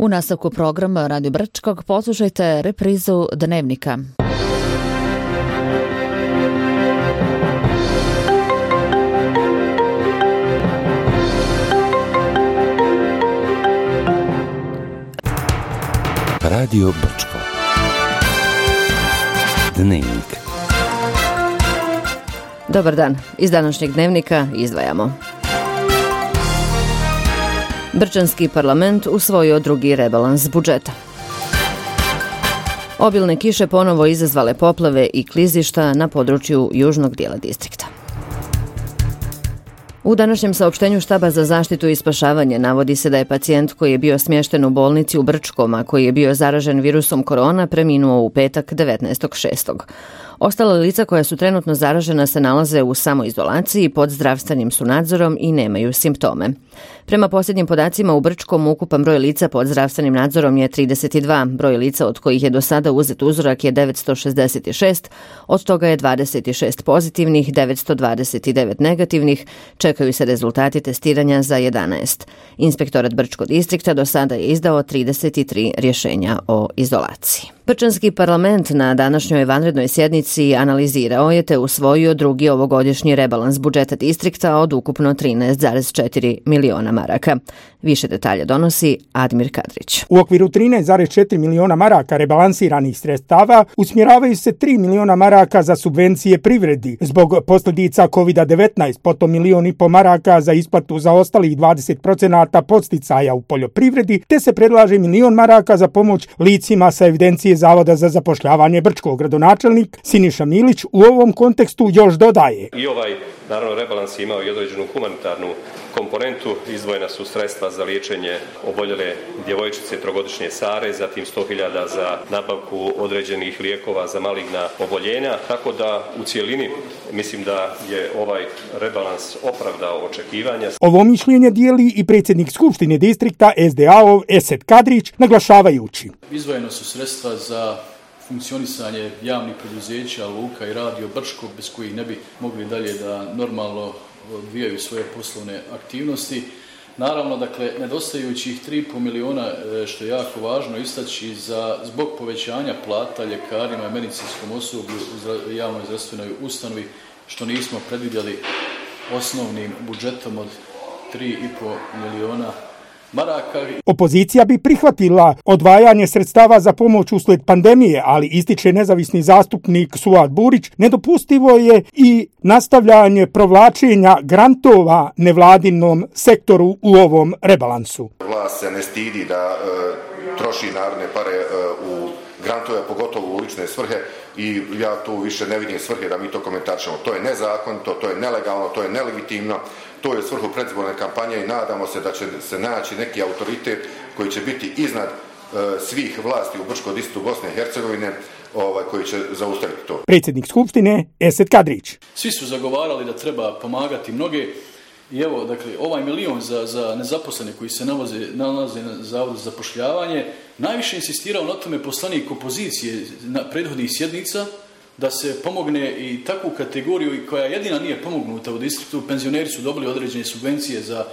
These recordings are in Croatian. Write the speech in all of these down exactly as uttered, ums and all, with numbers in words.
U nastavku programa Radio Brčkog poslušajte reprizu Dnevnika. Radio Brčko. Dnevnik. Dobar dan. Iz današnjeg Dnevnika izdvajamo. Brčanski parlament usvojio drugi rebalans budžeta. Obilne kiše ponovo izazvale poplave i klizišta na području južnog dijela distrikta. U današnjem saopštenju Štaba za zaštitu i spašavanje navodi se da je pacijent koji je bio smješten u bolnici u Brčkom, a koji je bio zaražen virusom korona, preminuo u petak devetnaestog šestog Ostala lica koja su trenutno zaražena se nalaze u samoizolaciji, pod zdravstvenim su nadzorom i nemaju simptome. Prema posljednjim podacima u Brčkom ukupan broj lica pod zdravstvenim nadzorom je trideset dva, broj lica od kojih je do sada uzet uzorak je devetsto šezdeset šest, od toga je dvadeset šest pozitivnih, devetsto dvadeset devet negativnih, čekaju se rezultati testiranja za jedanaest. Inspektorat Brčkog distrikta do sada je izdao trideset tri rješenja o izolaciji. Brčanski parlament na današnjoj vanrednoj sjednici analizirao je te usvojio drugi ovogodišnji rebalans budžeta distrikta od ukupno trinaest zarez četiri miliona maraka. Više detalja donosi Admir Kadrić. U okviru trinaest zarez četiri miliona maraka rebalansiranih sredstava usmjeravaju se tri miliona maraka za subvencije privredi zbog posljedica kovid devetnaest, potom milion i po maraka za isplatu za ostalih dvadeset procenata podsticaja u poljoprivredi, te se predlaže milion maraka za pomoć licima sa evidencije Zavoda za zapošljavanje Brčkog. Gradonačelnik Siniša Milić u ovom kontekstu još dodaje. I ovaj, naravno, rebalans je imao i određenu humanitarnu komponentu. Izdvojena su sredstva za liječenje oboljele djevojčice trogodišnje Sare, zatim sto hiljada za nabavku određenih lijekova za maligna oboljenja, tako da u cijelini mislim da je ovaj rebalans opravdao očekivanja. Ovo mišljenje dijeli i predsjednik Skupštine distrikta S D A-ov Esed Kadrić, naglašavajući. Izdvojeno su sredstva za funkcionisanje javnih preduzeća, luka i radio Brčko, bez kojih ne bi mogli dalje da normalno odvijaju svoje poslovne aktivnosti. Naravno, dakle, nedostajućih tri i pol miliona, što je jako važno istaći, za, zbog povećanja plata ljekarima i medicinskom osoblju u javnoj zdravstvenoj ustanovi, što nismo predvidjeli osnovnim budžetom od tri i pol miliona maraka. Opozicija bi prihvatila odvajanje sredstava za pomoć uslijed pandemije, ali ističe nezavisni zastupnik Suad Burić, nedopustivo je i nastavljanje provlačenja grantova nevladinom sektoru u ovom rebalansu. Vlast se ne stidi da e, troši narodne pare e, u grantove, pogotovo u lične svrhe, i ja tu više ne vidim svrhe da mi to komentarišemo. To je nezakonito, to je nelegalno, to je nelegitimno. To je svrhu predizborne kampanje i nadamo se da će se naći neki autoritet koji će biti iznad e, svih vlasti u Brčkom distriktu Bosne i Hercegovine, ovaj, koji će zaustaviti to. Predsjednik Skupštine Esed Kadrić. Svi su zagovarali da treba pomagati mnoge i evo, dakle, ovaj milion za, za nezaposlene koji se nalaze, nalaze na Zavodu za zapošljavanje, najviše insistirao na tome poslanik opozicije na prethodnih sjednica, da se pomogne i takvu kategoriju koja jedina nije pomognuta u distriktu. Penzioneri su dobili određene subvencije za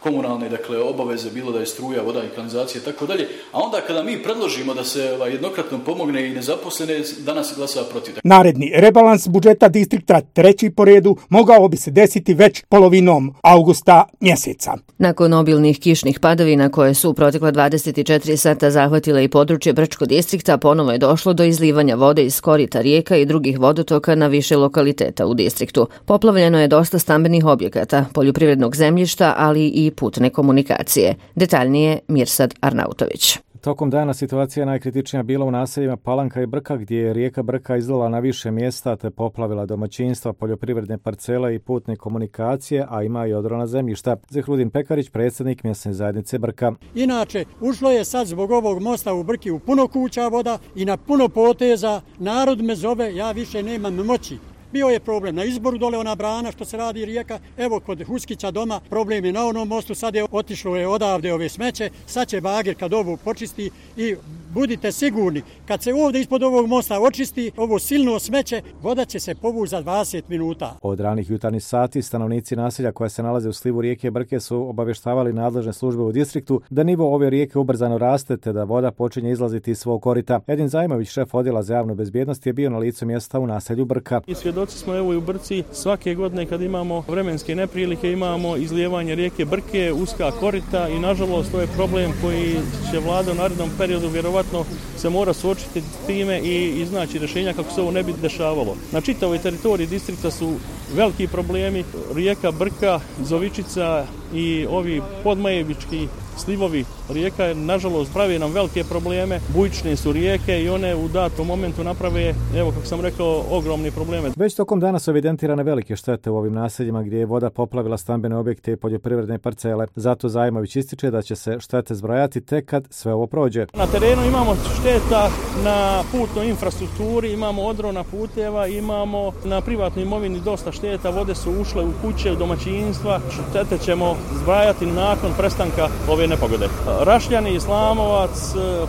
komunalne, dakle, obaveze, bilo da je struja, voda i kanalizacija i tako dalje. A onda kada mi predložimo da se ovaj, jednokratno pomogne i nezaposlene, danas se glasa protiv. Naredni rebalans budžeta distrikta, treći po redu, mogao bi se desiti već polovinom avgusta mjeseca. Nakon obilnih kišnih padavina koje su u protekla dvadeset četiri sata zahvatile i područje Brčkog distrikta, ponovo je došlo do izlivanja vode iz korita rijeka i drugih vodotoka na više lokaliteta u distriktu. Poplavljeno je dosta stambenih objekata, poljoprivrednog zemljišta, ali i putne komunikacije. Detaljnije Mirsad Arnautović. Tokom dana situacija najkritičnija bila u naseljima Palanka i Brka, gdje je rijeka Brka izlila na više mjesta te poplavila domaćinstva, poljoprivredne parcele i putne komunikacije, a ima i odrona zemljišta. Zehrudin Pekarić, predsjednik mjesne zajednice Brka. Inače, ušlo je sad zbog ovog mosta u Brki u puno kuća voda i na puno poteza. Narod me zove, ja više nemam moći. Bio je problem na izboru dole ona brana što se radi rijeka, evo kod Huskića doma problem je na onom mostu, sad je otišlo je odavde ove smeće, sad će bager kad ovo počisti i budite sigurni, kad se ovdje ispod ovog mosta očisti ovo silno smeće, voda će se povući za dvadeset minuta. Od ranih jutarnjih sati stanovnici naselja koja se nalaze u slivu rijeke Brke su obavještavali nadležne službe u distriktu da nivo ove rijeke ubrzano raste te da voda počinje izlaziti iz svog korita. Edin Zajmović, šef odjela za javnu bezbjednost, je bio na licu mjesta u naselju Brka. I svjedoci smo evo i u Brci svake godine kad imamo vremenske neprilike, imamo izlijevanje rijeke Brke, uska korita i nažalost to je problem koji će vlada u narednom periodu vjerovatno se mora suočiti s time i iznaći rješenja kako se ovo ne bi dešavalo. Na čitavoj teritoriji distrikta su veliki problemi, rijeka Brka, Zovičica i ovi podmajevički slivovi rijeka, nažalost, pravi nam velike probleme. Bujične su rijeke i one u datom momentu naprave, evo kako sam rekao, ogromni probleme. Već tokom dana su evidentirane velike štete u ovim naseljima gdje je voda poplavila stambene objekte i poljoprivredne parcele. Zato Zajmović ističe da će se štete zbrojati tek kad sve ovo prođe. Na terenu imamo šteta na putnoj infrastrukturi, imamo odrona puteva, imamo na privatnoj imovini dosta šteta, vode su ušle u kuće, u domaćinstva. Štete ćemo zbrajati nakon prestanka ove nepogode. Rašljani, Islamovac,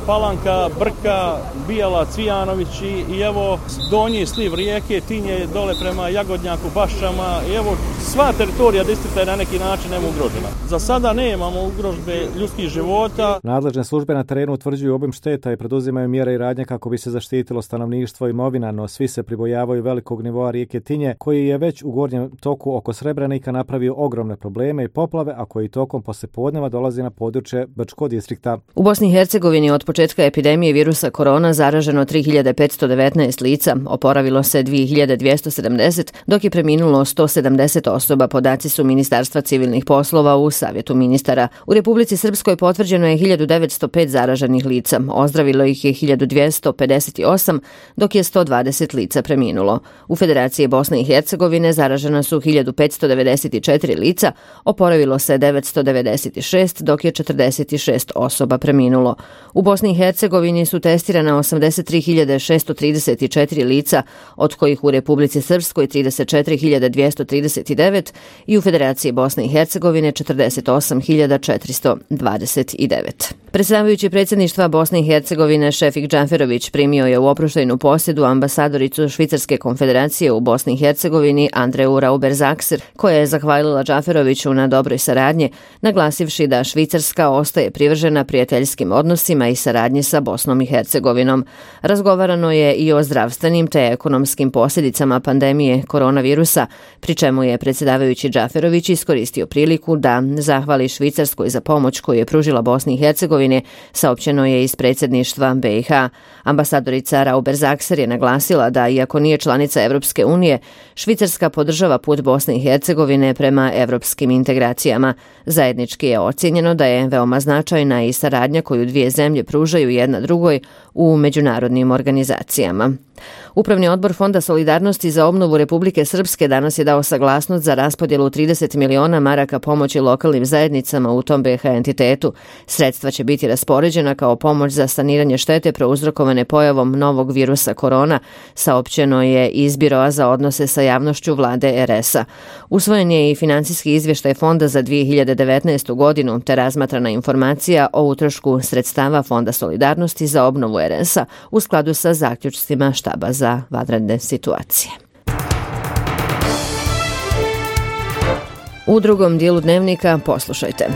Palanka, Brka, Bijala, Cvijanović i, i evo donji sliv rijeke, Tinje dole prema Jagodnjaku, Baščama i evo sva teritorija distrikta je na neki način nema ugrožena. Za sada nemamo ugrožbe ljudskih života. Nadležne službe na terenu utvrđuju obim šteta i preduzimaju mjere i radnje kako bi se zaštitilo stanovništvo i imovina, no svi se pribojavaju velikog nivoa rijeke Tinje koji je već u gornjem toku oko Srebrenika napravio ogromne probleme i poplave, a koji tokom poslijepodneva dolazi na područje Brčkog distrikta. U Bosni i Hercegovini od početka epidemije virusa korona zaraženo tri hiljade petsto devetnaest lica, oporavilo se dvije hiljade dvjesto sedamdeset, dok je preminulo sto sedamdeset osoba, podaci su Ministarstva civilnih poslova u Savjetu ministara. U Republici Srpskoj potvrđeno je hiljadu devetsto pet zaraženih lica, ozdravilo ih je hiljadu dvjesto pedeset osam, dok je sto dvadeset lica preminulo. U Federaciji Bosne i Hercegovine zaražena su hiljadu petsto devedeset četiri lica, oporavilo se devetsto devedeset šest, dok je četrdeset šest osoba preminulo. U Bosni i Hercegovini su testirana osamdeset tri hiljade šesto trideset četiri lica, od kojih u Republici Srpskoj trideset četiri hiljade dvjesto trideset devet i u Federaciji Bosne i Hercegovine četrdeset osam hiljada četiristo dvadeset devet. Predsjedavajući predsjedništva Bosne i Hercegovine Šefik Džaferović primio je u oproštajnu posjedu ambasadoricu Švicarske konfederacije u Bosni i Hercegovini Andreu Rauber-Zakser, koja je zahvalila Džaferoviću na dobroj saradnji, naglasivši da Švicarska ostaje privržena prijateljskim odnosima i saradnji sa Bosnom i Hercegovinom. Razgovarano je i o zdravstvenim te ekonomskim posljedicama pandemije koronavirusa, pri čemu je predsjedavajući Džaferović iskoristio priliku da zahvali Švicarskoj za pomoć koju je pružila Bosni i Hercegovini, saopćeno je iz predsjedništva B i H. Ambasadorica Rauber-Zakser je naglasila da, iako nije članica Evropske unije, Švicarska podržava put Bosne i Hercegovine prema evropskim integracijama. Zajednički je ocjenjeno da je veoma značajna i saradnja koju dvije zemlje pružaju jedna drugoj u međunarodnim organizacijama. Upravni odbor Fonda solidarnosti za obnovu Republike Srpske danas je dao saglasnost za raspodjelu trideset miliona maraka pomoći lokalnim zajednicama u tom B iH entitetu. Sredstva će biti raspoređena kao pomoć za saniranje štete prouzrokovane pojavom novog virusa korona, saopćeno je iz Biroa za odnose sa javnošću vlade er es a. Usvojen je i financijski izvještaj Fonda za dvije hiljade devetnaestu godinu, te razmatrana informacija o utrošku sredstava Fonda solidarnosti za obnovu er es a u skladu sa zaključcima štaba za vanredne situacije. U drugom dijelu dnevnika poslušajte.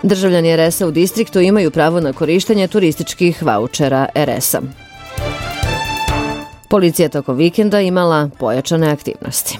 Državljani er es a u distriktu imaju pravo na korištenje turističkih vaučera er es a. Policija tokom vikenda imala pojačane aktivnosti.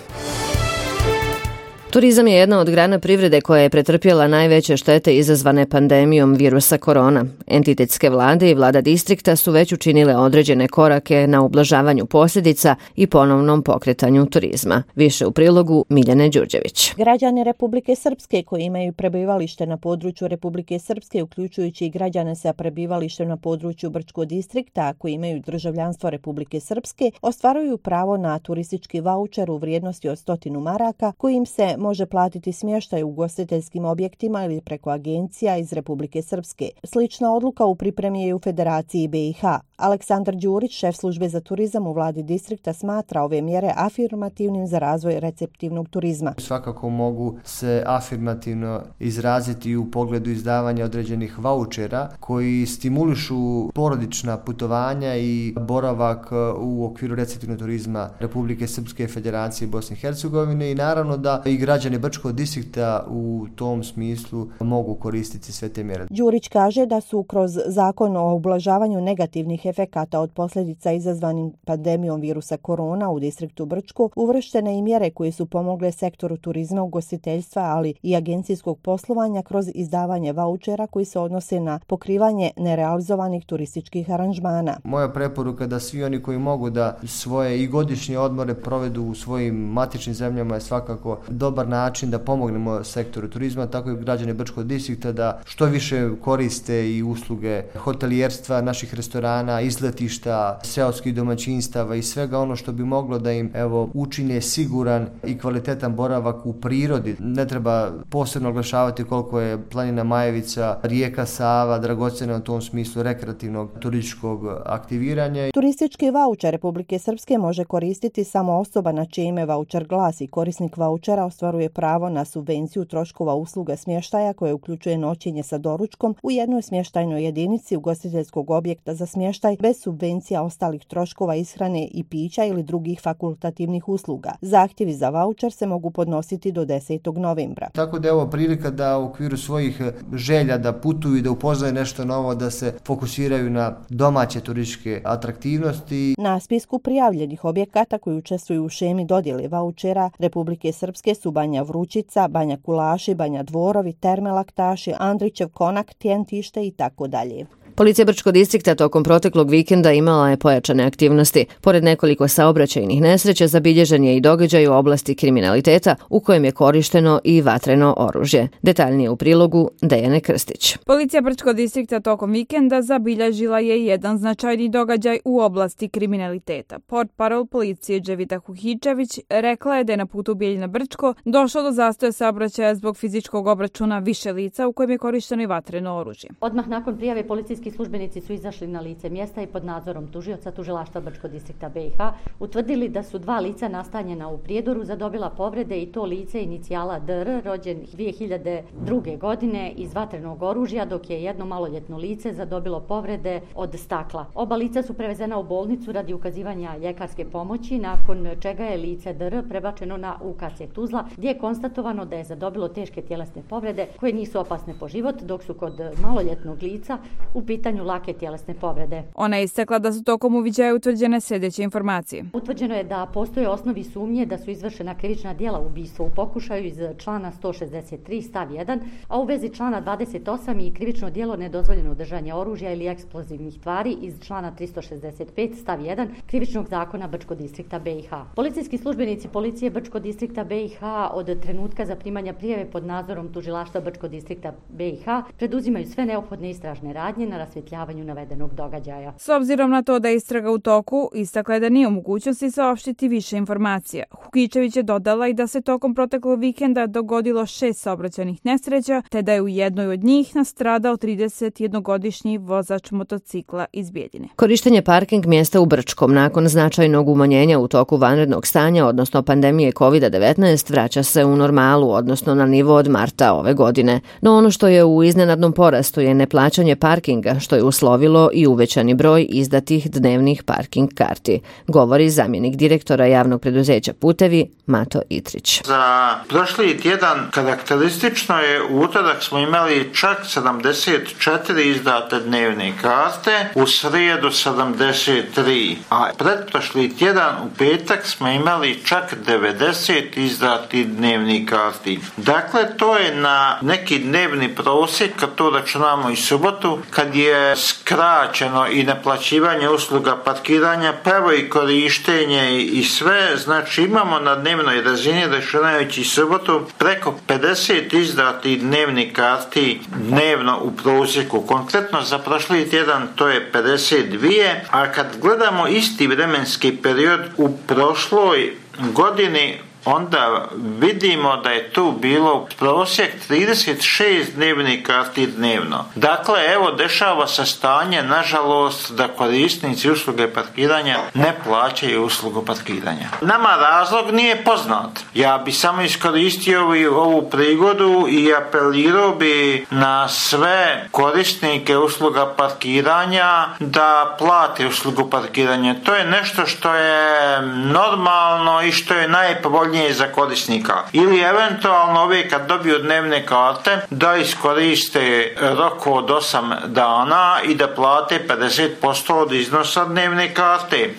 Turizam je jedna od grana privrede koja je pretrpjela najveće štete izazvane pandemijom virusa korona. Entitetske vlade i vlada distrikta su već učinile određene korake na ublažavanju posljedica i ponovnom pokretanju turizma. Više u prilogu Miljane Đurđević. Građani Republike Srpske koji imaju prebivalište na području Republike Srpske, uključujući i građane sa prebivalištem na području Brčkog distrikta koji imaju državljanstvo Republike Srpske, ostvaruju pravo na turistički vaučer u vrijednosti od stotinu maraka kojim se može platiti smještaj u ugostiteljskim objektima ili preko agencija iz Republike Srpske. Slična odluka u pripremi je u Federaciji B i H. Aleksandar Đurić, šef službe za turizam u vladi distrikta, smatra ove mjere afirmativnim za razvoj receptivnog turizma. Svakako mogu se afirmativno izraziti u pogledu izdavanja određenih vaučera koji stimulišu porodična putovanja i boravak u okviru receptivnog turizma Republike Srpske, Federacije Bosne i Hercegovine i naravno da i građani Brčkog distrikta u tom smislu mogu koristiti sve te mjere. Đurić kaže da su kroz zakon o ublažavanju negativnih efekata od posljedica izazvanim pandemijom virusa korona u distriktu Brčko uvrštene i mjere koje su pomogle sektoru turizma, ugostiteljstva, ali i agencijskog poslovanja kroz izdavanje vaučera koji se odnose na pokrivanje nerealizovanih turističkih aranžmana. Moja preporuka da svi oni koji mogu da svoje i godišnje odmore provedu u svojim matičnim zemljama je svakako dobar način da pomognemo sektoru turizma, tako i građane Brčkog distrikta da što više koriste i usluge hotelijerstva, naših restorana, izletišta, seoskih domaćinstava i svega ono što bi moglo da im evo učine siguran i kvalitetan boravak u prirodi. Ne treba posebno oglašavati koliko je planina Majevica, rijeka Sava dragocjena u tom smislu rekreativnog turističkog aktiviranja. Turistički vaučer Republike Srpske može koristiti samo osoba na čije ime vaučer glasi. Korisnik vaučera ostvaruje pravo na subvenciju troškova usluga smještaja koje uključuje noćenje sa doručkom u jednoj smještajnoj jedinici ugostiteljskog objekta za smještaj bez subvencija ostalih troškova ishrane i pića ili drugih fakultativnih usluga. Zahtjevi za vaučer se mogu podnositi do desetog novembra. Tako da je ovo prilika da u okviru svojih želja da putuju i da upoznaju nešto novo, da se fokusiraju na domaće turističke atraktivnosti. Na spisku prijavljenih objekata koji učestvuju u šemi dodjele vaučera Republike Srpske su Banja Vrućica, Banja Kulaši, Banja Dvorovi, Terme Laktaši, Andrićev Konak, Tjentište i tako dalje. Policija Brčkog distrikta tokom proteklog vikenda imala je pojačane aktivnosti. Pored nekoliko saobraćajnih nesreća zabilježen je i događaj u oblasti kriminaliteta u kojem je korišteno i vatreno oružje. Detaljnije u prilogu Dejane Krstić. Policija Brčkog distrikta tokom vikenda zabilježila je jedan značajni događaj u oblasti kriminaliteta. Portparol policije Dževita Huhičević rekla je da je na putu Bijeljina Brčko došlo do zastoja saobraćaja zbog fizičkog obračuna više lica u kojem je korišteno i vatreno oružje. Odmah nakon prijave policijski službenici su izašli na lice mjesta i pod nadzorom tužioca tužilaštva Brčkog distrikta B i H utvrdili da su dva lica nastanjena u Prijedoru zadobila povrede i to lice inicijala D R rođen dvije hiljade druge. godine iz vatrenog oružja, dok je jedno maloljetno lice zadobilo povrede od stakla. Oba lica su prevezena u bolnicu radi ukazivanja ljekarske pomoći, nakon čega je lice D R prebačeno na U K C Tuzla, gdje je konstatovano da je zadobilo teške tjelesne povrede koje nisu opasne po život, dok su kod maloljetnog lica u pitanju lake tjelesne povrede. Ona je istakla da su tokom uviđaja utvrđene sljedeće informacije. Utvrđeno je da postoje osnovi sumnje da su izvršena krivična djela ubistva u pokušaju iz člana sto šezdeset tri stav jedan, a u vezi člana dvadeset osam i krivično djelo nedozvoljeno držanje oružja ili eksplozivnih tvari iz člana tristo šezdeset pet stav jedan krivičnog zakona Brčkog distrikta B i H. Policijski službenici policije Brčkog distrikta B i H od trenutka zaprimanja prijave pod nadzorom tužilaštva Brčkog distrikta B i H preduzimaju sve neophodne istražne radnje na rasvjetljavanju navedenog događaja. S obzirom na to da je istraga u toku, istakla je da nije u mogućnosti saopštiti više informacija. Hukičević je dodala i da se tokom proteklog vikenda dogodilo šest saobraćajnih nesreća, te da je u jednoj od njih nastradao tridesetjednogodišnji vozač motocikla iz Bijeljine. Korištenje parking mjesta u Brčkom nakon značajnog umanjenja u toku vanrednog stanja, odnosno pandemije kovid devetnaest, vraća se u normalu, odnosno na nivo od marta ove godine. No ono što je u iznenadnom porastu je neplaćanje parkinga, što je uslovilo i uvećani broj izdatih dnevnih parking karti, govori zamjenik direktora javnog preduzeća Putevi Mato Itrić. Za prošli tjedan karakteristično je u utorak smo imali čak sedamdeset četiri izdate dnevne karte, u srijedu sedamdeset tri, a pretprošli tjedan u petak smo imali čak devedeset izdatih dnevnih karti. Dakle, to je na neki dnevni prosjek, kad to računamo i subotu, kad je skraćeno i naplaćivanje usluga parkiranja, pravo i korištenje i sve, znači imamo na dnevnoj razini, računajući subotu, preko pedeset izdatih dnevnih karti dnevno u prosjeku. Konkretno za prošli tjedan to je pedeset dvije, a kad gledamo isti vremenski period u prošloj godini, onda vidimo da je tu bilo prosjek trideset šest dnevnih karti dnevno. Dakle, evo, dešava se stanje, nažalost, da korisnici usluge parkiranja ne plaćaju uslugu parkiranja. Nama razlog nije poznat. Ja bi samo iskoristio ovu prigodu i apelirao bi na sve korisnike usluga parkiranja da plate uslugu parkiranja. To je nešto što je normalno i što je najpovoljnije za korisnika. Ili eventualno ove kad dobiju dnevne karte da iskoriste rok od osam dana i da plate pedeset posto od iznosa dnevne karte.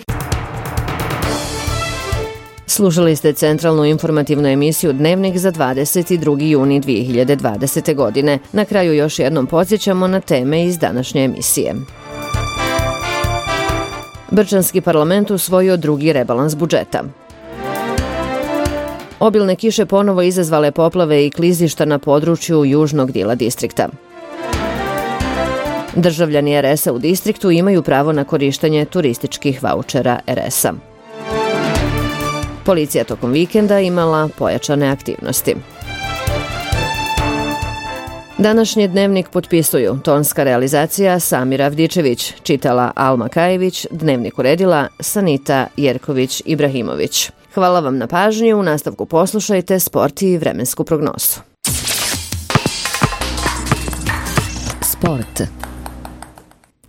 Slušali ste centralnu informativnu emisiju Dnevnik za dvadeset drugi juni dvije hiljade dvadesete. godine. Na kraju još jednom podsjećamo na teme iz današnje emisije. Brčanski parlament usvojio drugi rebalans budžeta. Obilne kiše ponovo izazvale poplave i klizišta na području južnog dijela distrikta. Državljani er es a u distriktu imaju pravo na korištenje turističkih vaučera er es a. Policija tokom vikenda imala pojačane aktivnosti. Današnji Dnevnik potpisuju tonska realizacija Samira Avdičević, čitala Alma Kajević, Dnevnik uredila Sanita Jerković-Ibrahimović. Hvala vam na pažnju, u nastavku poslušajte sport i vremensku prognozu. Sport.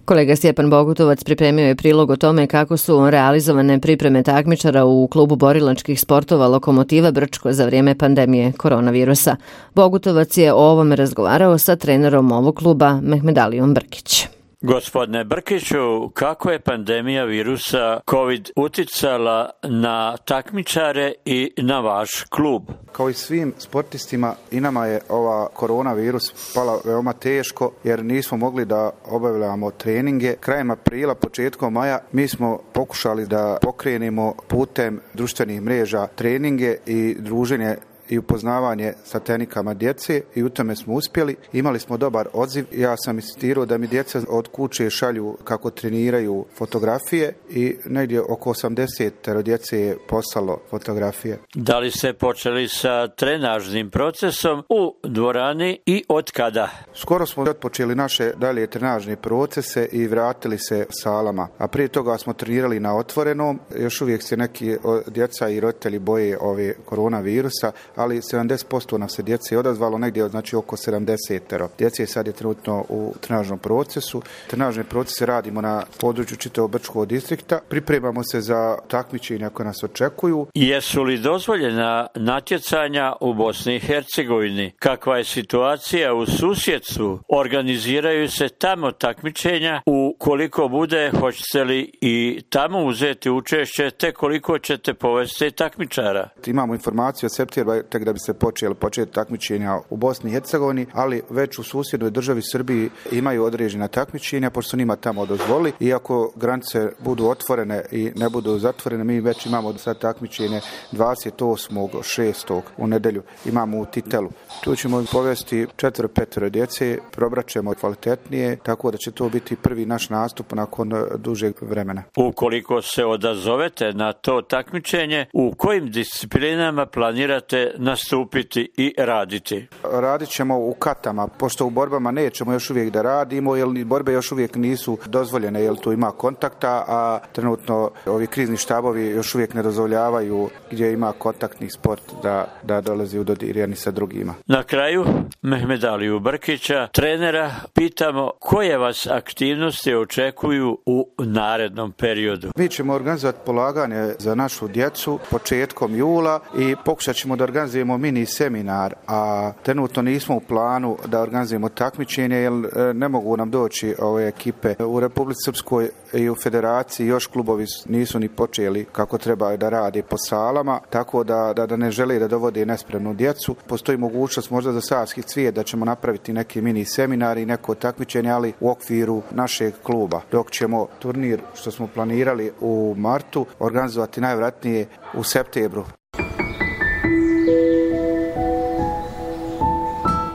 Kolega Stjepan Bogutovac pripremio je prilog o tome kako su realizovane pripreme takmičara u klubu borilačkih sportova Lokomotiva Brčko za vrijeme pandemije koronavirusa. Bogutovac je o ovome razgovarao sa trenerom ovog kluba Mehmedalijom Brkić. Gospodine Brkiću, kako je pandemija virusa COVID uticala na takmičare i na vaš klub? Kao i svim sportistima, i nama je ova koronavirus pala veoma teško jer nismo mogli da obavljamo treninge. Krajem aprila, početkom maja mi smo pokušali da pokrenemo putem društvenih mreža treninge i druženje i upoznavanje sa tehnikama djece i u tome smo uspjeli. Imali smo dobar odziv. Ja sam insistirao da mi djeca od kuće šalju kako treniraju fotografije i negdje oko osamdeset djece je poslalo fotografije. Da li ste počeli sa trenažnim procesom u dvorani i od kada? Skoro smo otpočeli naše dalje trenažne procese i vratili se salama. A prije toga smo trenirali na otvorenom. Još uvijek se neki djeca i roditelji boje ove koronavirusa, ali sedamdeset posto nam se djece odazvalo, negdje znači oko sedamdeset. Djece sad je trenutno u trenažnom procesu. Trenažne procese radimo na području čitavog Brčkog distrikta. Pripremamo se za takmičenja koje nas očekuju. Jesu li dozvoljena natjecanja u Bosni i Hercegovini? Kakva je situacija u susjedstvu? Organiziraju se tamo takmičenja? Ukoliko bude, hoćete li i tamo uzeti učešće, te koliko ćete povesti takmičara? Imamo informaciju od septembra tek da bi se počeli početi takmičenja u Bosni i Hercegovini, ali već u susjednoj državi Srbiji imaju određena takmičenja, pošto su njima tamo dozvoli. Iako granice budu otvorene i ne budu zatvorene, mi već imamo sad takmičenje dvadeset osmog šestog u nedjelju imamo u Titelu. Tu ćemo povesti četvero petero djece, probraćemo kvalitetnije, tako da će to biti prvi naš nastup nakon dužeg vremena. Ukoliko se odazovete na to takmičenje, u kojim disciplinama planirate nastupiti i raditi? Radit ćemo u katama, pošto u borbama nećemo još uvijek da radimo, jer borbe još uvijek nisu dozvoljene, jer tu ima kontakta, a trenutno ovi krizni štabovi još uvijek ne dozvoljavaju gdje ima kontaktni sport da, da dolazi u dodirjani sa drugima. Na kraju, Mehmedaliju Brkića, trenera, pitamo koje vas aktivnosti očekuju u narednom periodu? Mi ćemo organizovati polaganje za našu djecu početkom jula i pokušat ćemo da organizujemo mini seminar, a trenutno nismo u planu da organizujemo takmičenje jer ne mogu nam doći ove ekipe. U Republici Srpskoj i u Federaciji još klubovi nisu ni počeli kako treba da rade po salama, tako da, da, da ne žele da dovode nespremnu djecu. Postoji mogućnost možda za Savski cvijet da ćemo napraviti neki mini seminar i neko takmičenje, ali u okviru našeg kluba. Dok ćemo turnir što smo planirali u martu organizovati najvjerojatnije u septembru.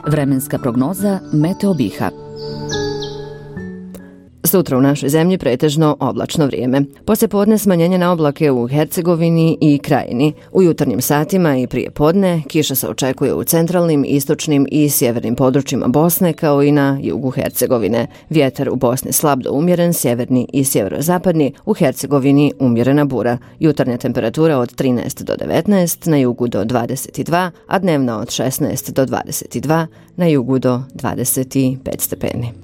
Vremenska prognoza Meteo Biha. sutra u našoj zemlji pretežno oblačno vrijeme. Poslije podne smanjenje na oblake u Hercegovini i Krajini. U jutarnjim satima i prije podne kiša se očekuje u centralnim, istočnim i sjevernim područjima Bosne kao i na jugu Hercegovine. Vjetar u Bosni slab do umjeren, sjeverni i sjeverozapadni, u Hercegovini umjerena bura. Jutarnja temperatura od trinaest do devetnaest, na jugu do dvadeset dva, a dnevna od šesnaest do dvadeset dva, na jugu do dvadeset pet stepeni.